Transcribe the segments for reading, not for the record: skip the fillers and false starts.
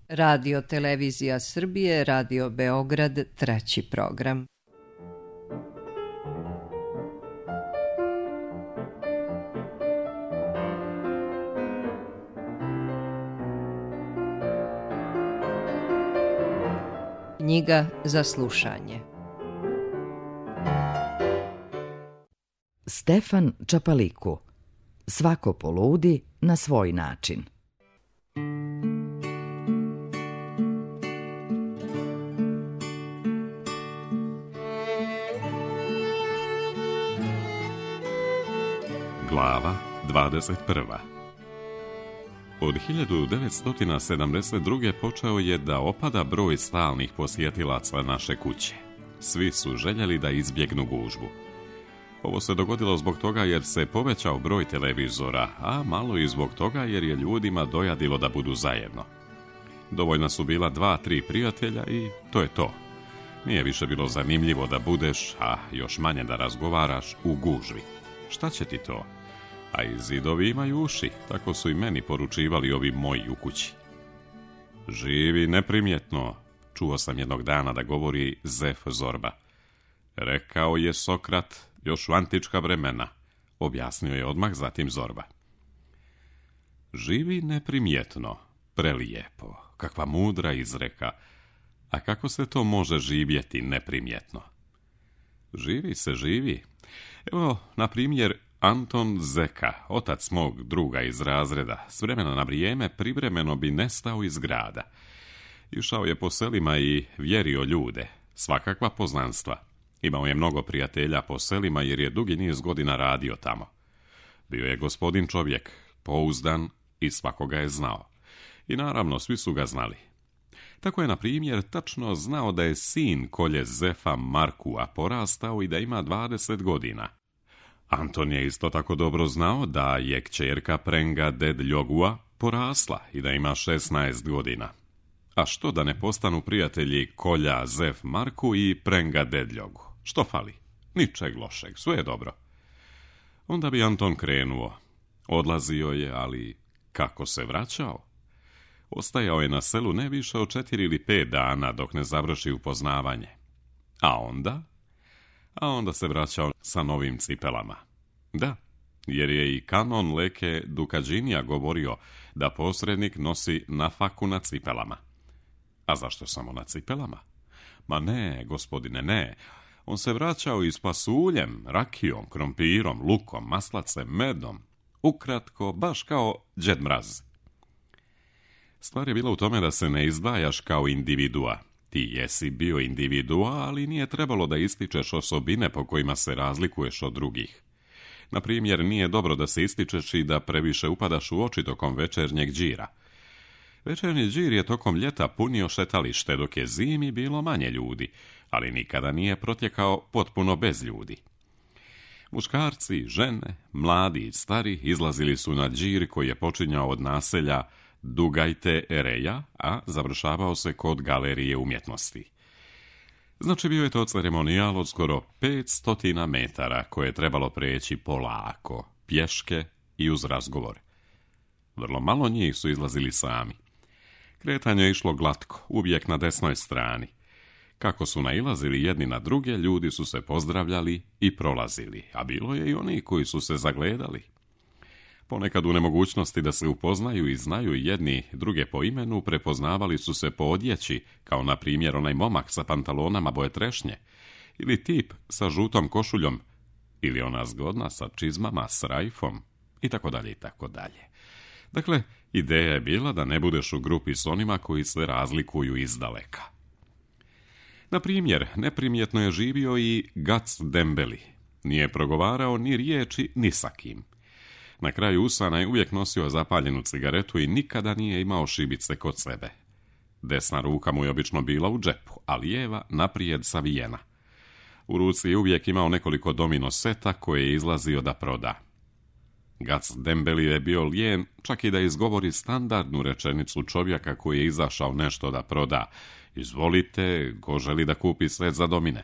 Radio Televizija Srbije, Radio Beograd, 3. program. Knjiga za slušanje. Stefan Čapaliku. Svako poludi na svoj način. Glava 21. Od 1972. počeo je da opada broj stalnih posjetilaca naše kuće. Svi su željeli da izbjegnu gužbu. Ovo se dogodilo zbog toga jer se povećao broj televizora, a malo i zbog toga jer je ljudima dojadilo da budu zajedno. Dovoljna su bila 2-3 prijatelja i to je to. Nije više bilo zanimljivo da budeš, a još manje da razgovaraš u gužvi. Šta će ti to? A i zidovi imaju uši, tako su i meni poručivali ovi moji u kući. Živi neprimjetno, čuo sam jednog dana da govori Zef Zorba. Rekao je Sokrat još u antička vremena, objasnio je odmah zatim Zorba. Živi neprimjetno, prelijepo, kakva mudra izreka, a kako se to može živjeti neprimjetno? Živi se živi. Evo, na primjer, Anton Zeka, otac mog druga iz razreda, s vremena na vrijeme privremeno bi nestao iz grada. Išao je po selima i vjerio ljude, svakakva poznanstva. Imao je mnogo prijatelja po selima jer je dugi niz godina radio tamo. Bio je gospodin čovjek, pouzdan i svakoga je znao. I naravno, svi su ga znali. Tako je, na primjer, tačno znao da je sin kolje Zefa Markua porastao i da ima 20 godina. Anton je isto tako dobro znao da je kćerka Prenga Dedljogua porasla i da ima 16 godina. A što da ne postanu prijatelji kolja Zef Marku i Prenga Dedljogu? Što fali? Ničeg lošeg, sve je dobro. Onda bi Anton krenuo. Odlazio je, ali kako se vraćao? Ostajao je na selu ne više od 4 ili 5 dana dok ne završi upoznavanje. A onda se vraćao sa novim cipelama. Da, jer je i kanon Leke Dukađinija govorio da posrednik nosi nafaku na cipelama. A zašto samo na cipelama? Ma ne, gospodine, ne. On se vraćao i s pasuljem, rakijom, krompirom, lukom, maslacem, medom. Ukratko, baš kao Đed Mraz. Stvar je bila u tome da se ne izdvajaš kao individua. Ti jesi bio individua, ali nije trebalo da ističeš osobine po kojima se razlikuješ od drugih. Na primjer, nije dobro da se ističeš i da previše upadaš u oči tokom večernjeg đira. Večernji đir je tokom ljeta punio šetalište, dok je zimi bilo manje ljudi, ali nikada nije protjekao potpuno bez ljudi. Muškarci, žene, mladi i stari izlazili su na đir koji je počinjao od naselja Dugajte Ereja, a završavao se kod galerije umjetnosti. Znači, bio je to ceremonijal od skoro 500 metara koje je trebalo preći polako, pješke i uz razgovor. Vrlo malo njih su izlazili sami. Kretanje je išlo glatko, uvijek na desnoj strani. Kako su nailazili jedni na druge, ljudi su se pozdravljali i prolazili, a bilo je i oni koji su se zagledali. Ponekad u nemogućnosti da se upoznaju i znaju jedni druge po imenu, prepoznavali su se po odjeći, kao na primjer onaj momak sa pantalonama boje trešnje, ili tip sa žutom košuljom, ili ona zgodna sa čizmama s rajfom, i tako dalje, i tako dalje. Dakle, ideja je bila da ne budeš u grupi s onima koji se razlikuju izdaleka. Na primjer, neprimjetno je živio i Gac Dembeli. Nije progovarao ni riječi ni sa kim. Na kraju usana je uvijek nosio zapaljenu cigaretu i nikada nije imao šibice kod sebe. Desna ruka mu je obično bila u džepu, a lijeva naprijed savijena. U ruci je uvijek imao nekoliko domino seta koje je izlazio da proda. Gac Dembeli je bio lijen čak i da izgovori standardnu rečenicu čovjeka koji je izašao nešto da proda. Izvolite, ko želi da kupi set za domine?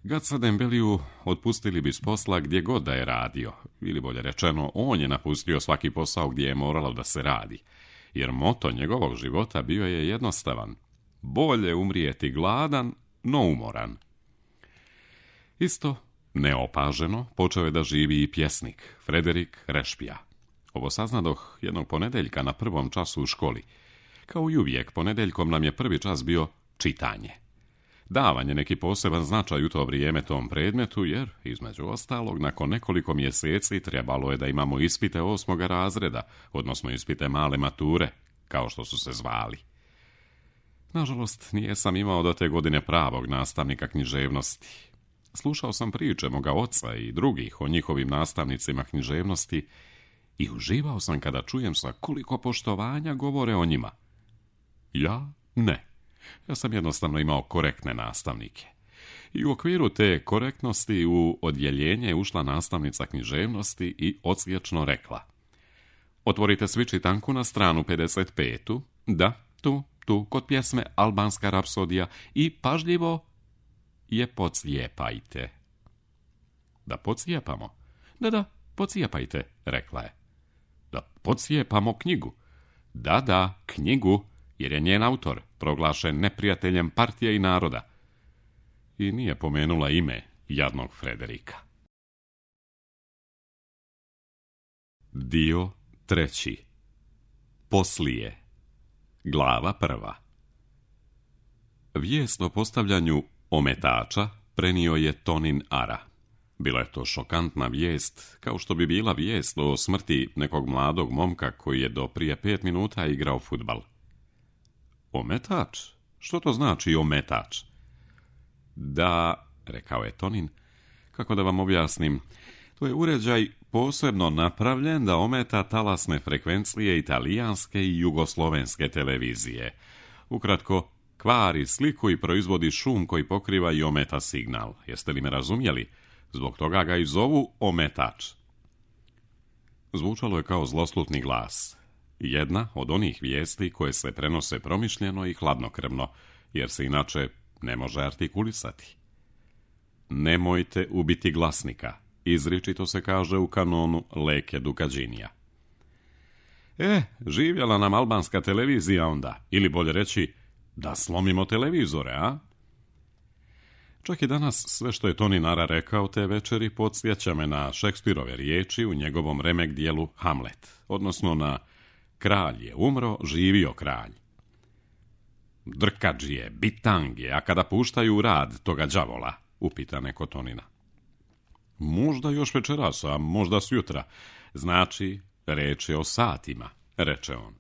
Gaca Dembeliju otpustili bi s posla gdje god da je radio, ili bolje rečeno, on je napustio svaki posao gdje je moralo da se radi. jer moto njegovog života bio je jednostavan: bolje umrijeti gladan, no umoran. Isto neopaženo počeo je da živi i pjesnik Frederik Rešpija. Ovo saznadoh jednog ponedeljka na prvom času u školi. Kao i uvijek, ponedeljkom nam je prvi čas bio čitanje. Davan je neki poseban značaj u to vrijeme tom predmetu, jer, između ostalog, nakon nekoliko mjeseci trebalo je da imamo ispite 8. razreda, odnosno ispite male mature, kao što su se zvali. Nažalost, nisam imao do te godine pravog nastavnika književnosti. Slušao sam priče moga oca i drugih o njihovim nastavnicima književnosti i uživao sam kada čujem sa koliko poštovanja govore o njima. Ja ne. Ja sam jednostavno imao korektne nastavnike. I u okviru te korektnosti u odjeljenje je ušla nastavnica književnosti i odsječno rekla: otvorite svi čitanku na stranu 55. Da, tu, kod pjesme Albanska rapsodija i pažljivo je pocijepajte. Da pocijepamo? Da, pocijepajte, rekla je. Da pocijepamo knjigu? Da, knjigu, jer je njen autor proglašen neprijateljem partije i naroda. I nije pomenula ime jadnog Frederika. Dio 3. Poslije. Glava 1. Vijest o postavljanju ometača prenio je Tonin Ara. Bila je to šokantna vijest, kao što bi bila vijest o smrti nekog mladog momka koji je do prije 5 minuta igrao fudbal. Ometač? Što to znači ometač? Da, rekao je Tonin, kako da vam objasnim, to je uređaj posebno napravljen da ometa talasne frekvencije italijanske i jugoslovenske televizije. Ukratko, kvari sliku i proizvodi šum koji pokriva i ometa signal. Jeste li me razumjeli? Zbog toga ga i zovu ometač. Zvučalo je kao zloslutni glas. Jedna od onih vijesti koje se prenose promišljeno i hladnokrvno, jer se inače ne može artikulisati. Nemojte ubiti glasnika, izričito se kaže u kanonu Leke Dukađinija. Živjela nam albanska televizija onda, ili bolje reći, da slomimo televizore, a? Čak i danas sve što je Tonin Ara rekao te večeri podsjeća me na Šekspirove riječi u njegovom remek dijelu Hamlet, odnosno na kralj je umro, živio kralj. Drkađije, bitange, a kada puštaju u rad toga đavola, upita neko Tonina. Možda još večeras, a možda sutra. Znači, reč je o satima, reče on.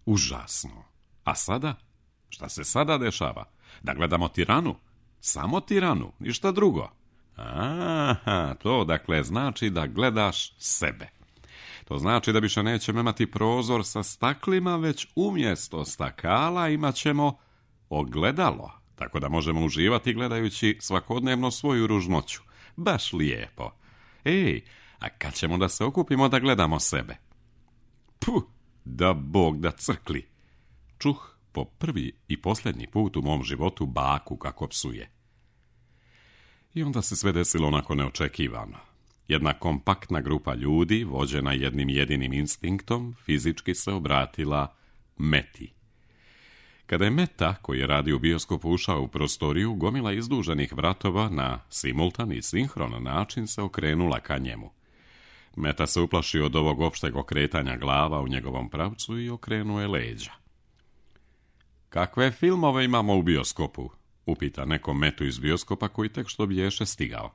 Užasno. A sada? Šta se sada dešava? Da gledamo tiranu? Samo tiranu, ništa drugo. Aha, to dakle znači da gledaš sebe. To znači da više nećemo imati prozor sa staklima, već umjesto stakala imat ćemo ogledalo, tako da možemo uživati gledajući svakodnevno svoju ružnoću. Baš lijepo. A kad ćemo da se okupimo da gledamo sebe? Da Bog da crkli. Čuh po prvi i posljednji put u mom životu baku kako psuje. I onda se sve desilo onako neočekivano. Jedna kompaktna grupa ljudi, vođena jednim jedinim instinktom, fizički se obratila Meti. Kada je Meta, koji je radio u bioskopu, ušao u prostoriju, gomila izduženih vratova na simultan i sinhron način se okrenula ka njemu. Meta se uplašio od ovog opšteg okretanja glava u njegovom pravcu i okrenuo je leđa. Kakve filmove imamo u bioskopu? Upita neko Metu iz bioskopa koji tek što biješe stigao.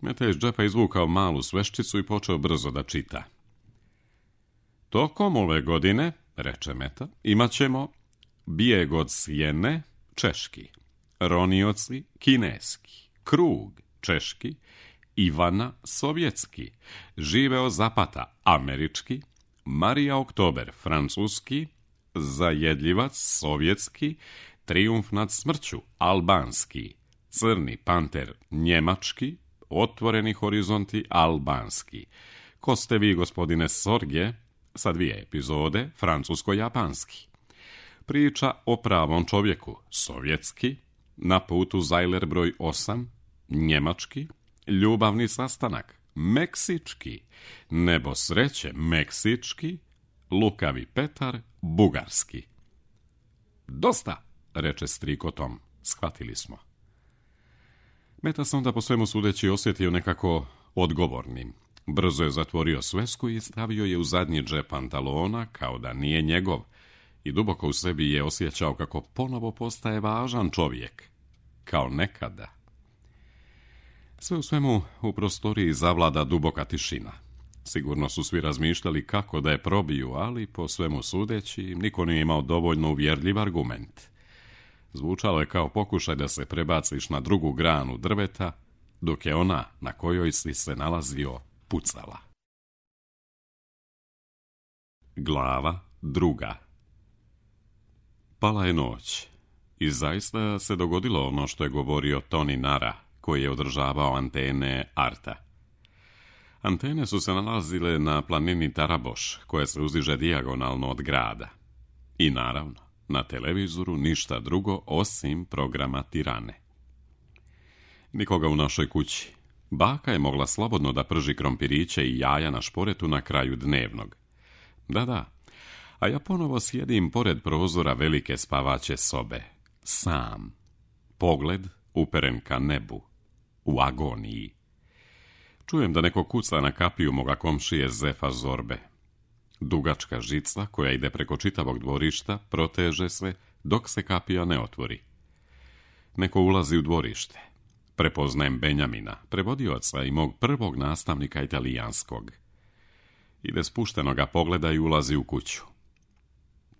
Meta je iz džepa izvukao malu sveščicu i počeo brzo da čita. Tokom ove godine, reče Meta, imat ćemo bijeg od sjene, češki, ronioci, kineski, krug, češki, Ivana, sovjetski, živeo Zapata, američki, Marija Oktober, francuski, zajedljivac, sovjetski, trijumf nad smrću, albanski, crni panter, njemački, otvoreni horizonti, albanski. Ko ste vi, gospodine Sorge, sa 2 epizode, francusko-japanski. Priča o pravom čovjeku, sovjetski, na putu Zajler broj 8, njemački, ljubavni sastanak, meksički, nebo sreće, meksički, lukavi Petar, bugarski. Dosta, reče striko Tom, shvatili smo. Meta se onda po svemu sudeći osjetio nekako odgovornim. Brzo je zatvorio svesku i stavio je u zadnji džep pantalona kao da nije njegov i duboko u sebi je osjećao kako ponovo postaje važan čovjek, kao nekada. Sve u svemu u prostoriji zavlada duboka tišina. Sigurno su svi razmišljali kako da je probiju, ali po svemu sudeći niko nije imao dovoljno uvjerljiv argument. Zvučalo je kao pokušaj da se prebaciš na drugu granu drveta, dok je ona na kojoj si se nalazio pucala. Glava 2. Pala je noć i zaista se dogodilo ono što je govorio Toni Nara, koji je održavao antene Arta. Antene su se nalazile na planini Taraboš, koja se uzdiže dijagonalno od grada. I naravno, na televizoru ništa drugo osim programa Tirane. Nikoga u našoj kući. Baka je mogla slobodno da prži krompiriće i jaja na šporetu na kraju dnevnog. Da, a ja ponovo sjedim pored prozora velike spavaće sobe. Sam. Pogled uperen ka nebu. U agoniji. Čujem da neko kuca na kapiju moga komšije Zefa Zorbe. Dugačka žica koja ide preko čitavog dvorišta proteže se dok se kapija ne otvori. Neko ulazi u dvorište. Prepoznajem Benjamina, prevodioca i mog prvog nastavnika italijanskog. Ide spuštenoga pogleda i ulazi u kuću.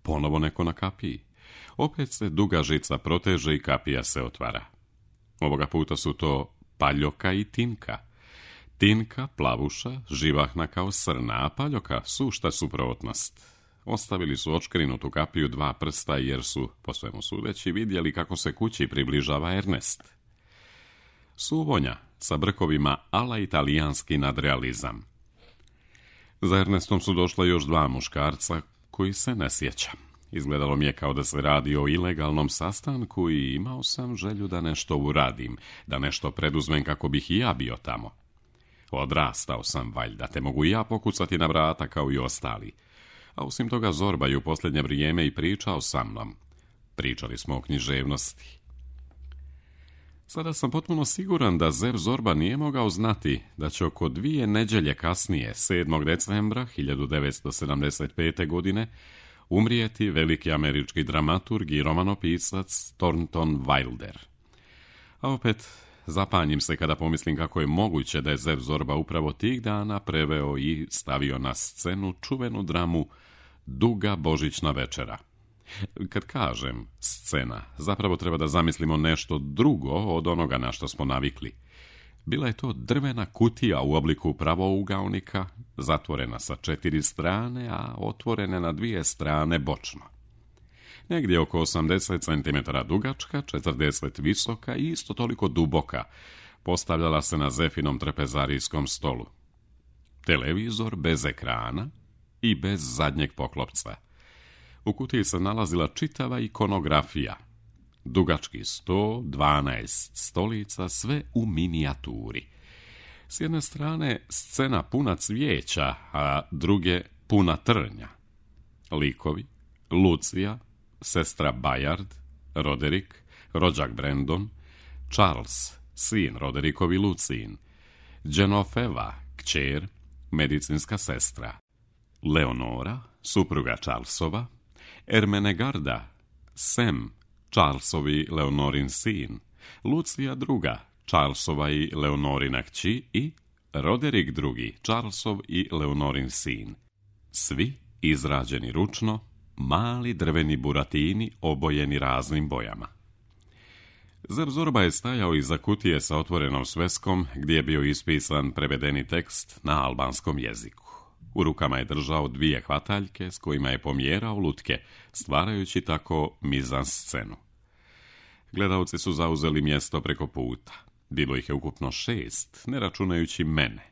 Ponovo neko na kapiji. Opet se duga žica proteže i kapija se otvara. Ovoga puta su to Paljoka i Tinka. Tinka, plavuša, živahna kao srna, a Paljoka sušta suprotnost. Ostavili su očkrinutu kapiju 2 prsta jer su, po svemu sudeći, vidjeli kako se kući približava Ernest. Suvonja sa brkovima ala italijanski nadrealizam. Za Ernestom su došla još 2 muškarca koji se ne sjeća. Izgledalo mi je kao da se radi o ilegalnom sastanku i imao sam želju da nešto uradim, da nešto preduzmem kako bih i ja bio tamo. Odrastao sam valjda, te mogu i ja pokucati na vrata kao i ostali. A osim toga Zorba je u posljednje vrijeme i pričao sa mnom. Pričali smo o književnosti. Sada sam potpuno siguran da Zef Zorba nije mogao znati da će oko 2 nedjelje kasnije, 7. decembra 1975. godine, umrijeti veliki američki dramaturg i romanopisac Thornton Wilder. A opet, zapanjim se kada pomislim kako je moguće da je Zef Zorba upravo tih dana preveo i stavio na scenu čuvenu dramu Duga božićna večera. Kad kažem scena, zapravo treba da zamislimo nešto drugo od onoga na što smo navikli. Bila je to drvena kutija u obliku pravougaonika, zatvorena sa 4 strane, a otvorene na 2 strane bočno. Negdje oko 80 cm dugačka, 40 visoka i isto toliko duboka, postavljala se na Zefinom trepezarijskom stolu. Televizor bez ekrana i bez zadnjeg poklopca. U kutiji se nalazila čitava ikonografija. Dugački sto, 12 stolica, sve u minijaturi. S jedne strane scena puna cvijeća, a druge puna trnja. Likovi, Lucija, sestra Bayard, Roderick, rođak Brandon, Charles, sin Roderickovi Lucin, Genoveva, kćer, medicinska sestra, Leonora, supruga Charlesova, Ermenegarda, Sam, Charlesovi Leonorin sin, Lucija druga, Charlesova i Leonorina kći i Roderick drugi, Charlesov i Leonorin sin. Svi izrađeni ručno, mali drveni buratini obojeni raznim bojama. Zef Zorba je stajao iza kutije sa otvorenom sveskom gdje je bio ispisan prevedeni tekst na albanskom jeziku. U rukama je držao 2 hvataljke s kojima je pomjerao lutke, stvarajući tako mizanscenu. Gledalci su zauzeli mjesto preko puta. Bilo ih je ukupno 6, ne računajući mene.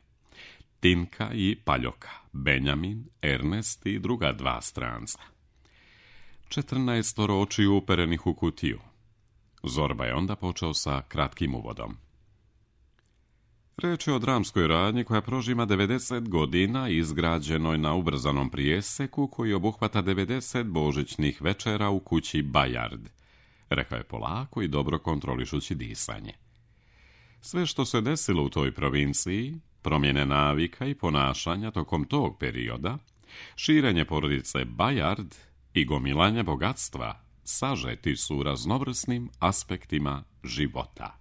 Tinka i Paljoka, Benjamin, Ernest i druga 2 stranca. 14 očiju uperenih u kutiju. Zorba je onda počeo sa kratkim uvodom. Reč je o dramskoj radnji koja prožima 90 godina i izgrađenoj na ubrzanom prijeseku koji obuhvata 90 božićnih večera u kući Bajard, rekao je polako i dobro kontrolišući disanje. Sve što se desilo u toj provinciji, promjene navika i ponašanja tokom tog perioda, širenje porodice Bajard i gomilanje bogatstva sažeti su u raznovrsnim aspektima života.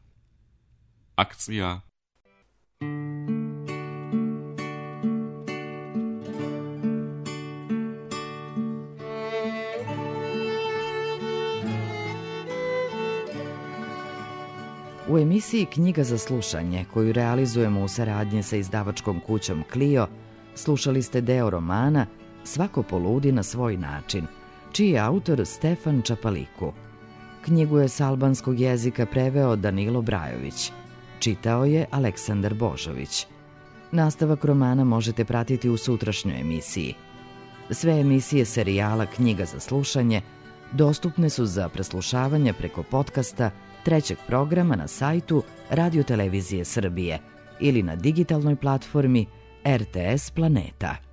Akcija. U emisiji Knjiga za slušanje, koju realizujemo u saradnji sa izdavačkom kućom Clio, slušali ste deo romana Svako poludi na svoj način, čiji je autor Stefan Čapaliku. Knjigu je s albanskog jezika preveo Danilo Brajović. Čitao je Aleksandar Božović. Nastavak romana možete pratiti u sutrašnjoj emisiji. Sve emisije serijala Knjiga za slušanje dostupne su za preslušavanje preko podcasta trećeg programa na sajtu Radio Televizije Srbije ili na digitalnoj platformi RTS Planeta.